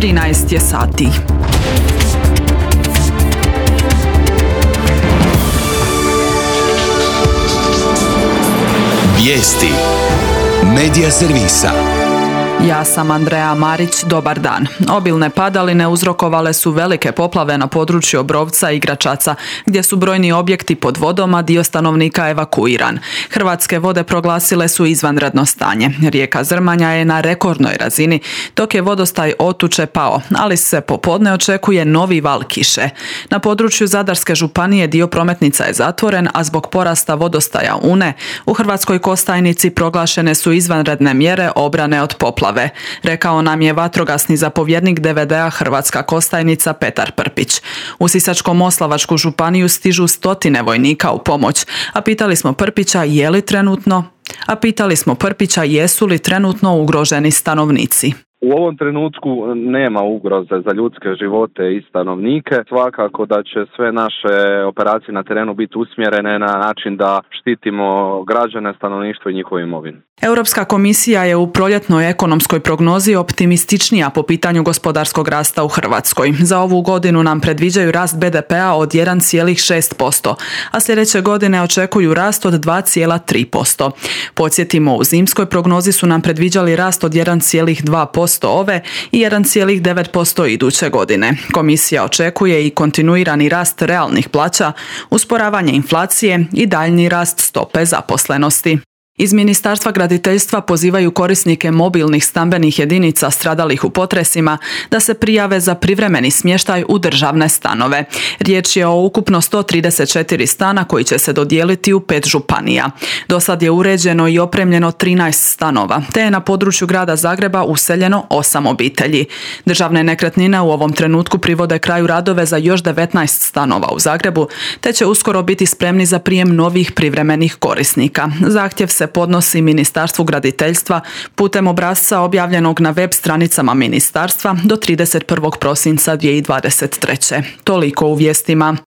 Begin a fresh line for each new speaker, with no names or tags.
13 je sati.
Vijesti Medija servisa.
Ja sam Andreja Marić, dobar dan. Obilne padaline uzrokovale su velike poplave na području Obrovca i Gračaca, gdje su brojni objekti pod vodom, a dio stanovnika evakuiran. Hrvatske vode proglasile su izvanredno stanje. Rijeka Zrmanja je na rekordnoj razini, dok je vodostaj Otuče pao, ali se popodne očekuje novi val kiše. Na području Zadarske županije dio prometnica je zatvoren, a zbog porasta vodostaja Une, u Hrvatskoj Kostajnici proglašene su izvanredne mjere obrane od poplave. Rekao nam je vatrogasni zapovjednik DVD-a Hrvatska Kostajnica Petar Prpić. U Sisačko-moslavačku županiju stižu stotine vojnika u pomoć, a pitali smo Prpića jesu li trenutno ugroženi stanovnici.
U ovom trenutku nema ugroze za ljudske živote i stanovnike. Svakako da će sve naše operacije na terenu biti usmjerene na način da štitimo građane, stanovništvo i njihovu imovinu.
Europska komisija je u proljetnoj ekonomskoj prognozi optimističnija po pitanju gospodarskog rasta u Hrvatskoj. Za ovu godinu nam predviđaju rast BDP-a od 1,6%, a sljedeće godine očekuju rast od 2,3%. Podsjetimo, u zimskoj prognozi su nam predviđali rast od 1,2% ove i 1,9% iduće godine. Komisija očekuje i kontinuirani rast realnih plaća, usporavanje inflacije i daljnji rast stope zaposlenosti. Iz Ministarstva graditeljstva pozivaju korisnike mobilnih stambenih jedinica stradalih u potresima da se prijave za privremeni smještaj u državne stanove. Riječ je o ukupno 134 stana koji će se dodijeliti u 5 županija. Do sad je uređeno i opremljeno 13 stanova, te je na području grada Zagreba useljeno 8 obitelji. Državne nekretnine u ovom trenutku privode kraju radove za još 19 stanova u Zagrebu, te će uskoro biti spremni za prijem novih privremenih korisnika. Zahtjev se podnosi Ministarstvu graditeljstva putem obrasca objavljenog na web stranicama ministarstva do 31. prosinca 2023. Toliko u vijestima.